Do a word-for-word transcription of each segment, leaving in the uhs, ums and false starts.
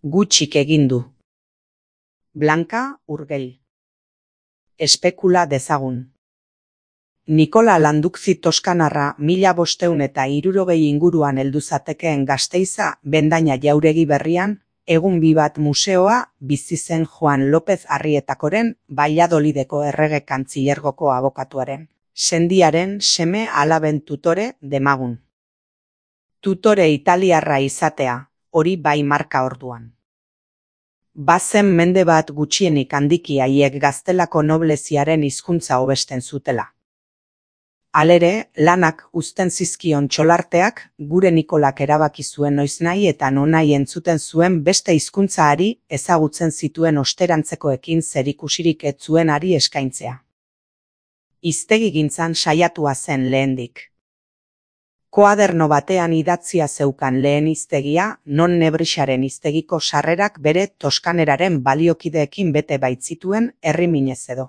Gutxik egin du. Blanka Urgell. Espekula dezagun. Nikola Landukzi toskanarra mila bosteun eta hirurogei inguruan heldu zatekeen Gasteiza bendaina jauregi berrian, egun bi bat museoa bizi zen Juan López Arrietakoren Valladolideko errege kantzilergoko abokatuaren, sendiaren seme alaben tutore demagun. Tutore italiarra izatea, hori bai marka orduan. Bazen mende bat gutxienik handiki haiek gaztelako nobleziaren hizkuntza hobesten zutela. Halere, lanak uzten zizkion txolarteak, gure Nikolak erabaki zuen noiznahi eta nonahi entzuten zuen beste hizkuntzaari ezagutzen zituen osterantzekoekin zerikusirik ez zuenari eskaintzea. Hiztegigintzan saiatua zen lehendik. Koaderno batean idatzia zeukan lehen hiztegia, non Nebrixaren hiztegiko sarrerak bere toskaneraren baliokideekin bete baitzituen herriminez edo.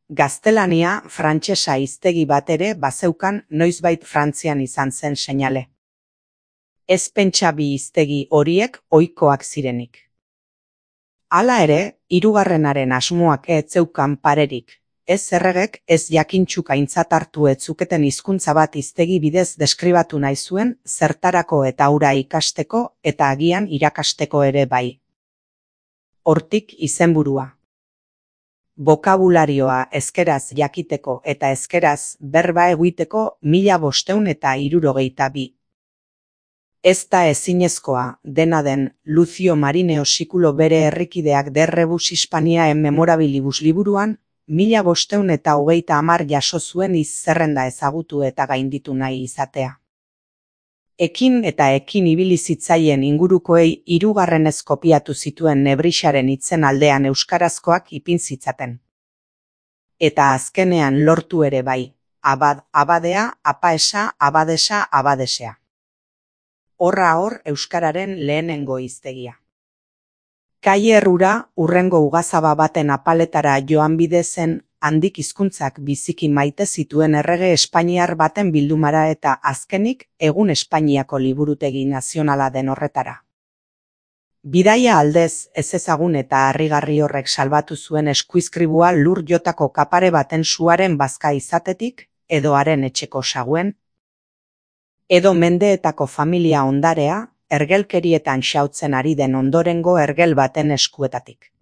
Gaztelania, frantsesa hiztegi bat ere bazeukan noizbait Frantzian izan zen seinale. Ez pentsa bi hiztegi horiek ohikoak zirenik. Hala ere, hirugarrenaren asmoak ez zeukan parerik. Ez erregek ez jakintxuk aintzat hartu ez zuketen hizkuntza bat hiztegi bidez deskribatu nahi zuen zertarako eta hura ikasteko eta agian irakasteko ere bai. Hortik izenburua. Bokabularioa ezkeraz jakiteko eta ezkeraz berba egiteko mila bosteun eta hirurogeita bi. Ez da ezinezkoa, dena den, Lucio Marineo sikulo bere herrikideak de Rebus Hispaniae Memorabilibus liburuan, mila bosteun eta hogeita hamar jaso zuen hiz-zerrenda ezagutu eta gainditu nahi izatea. Ekin eta ekin ibili zitzaien ingurukoei hirugarrenez kopiatu zituen Nebrixaren hitzen aldean euskarazkoak ipin zitzaten. Eta azkenean lortu ere bai, abad, abadea, apaesa, abadesa, abadesea. Horra hor euskararen lehenengo hiztegia. Kaie errura, urrengo ugazaba baten apaletara joan bide zen, handik hizkuntzak biziki maite zituen errege espainiar baten bildumara eta azkenik egun Espainiako liburutegi nazionala den horretara. Bidaia aldez ez ezagun eta harrigarri horrek salbatu zuen eskuizkribua lur jotako kapare baten suaren bazka izatetik, edo haren etxeko saguen, edo mendeetako familia ondarea, ergelkerietan xautzen ari den ondorengo ergel baten eskuetatik.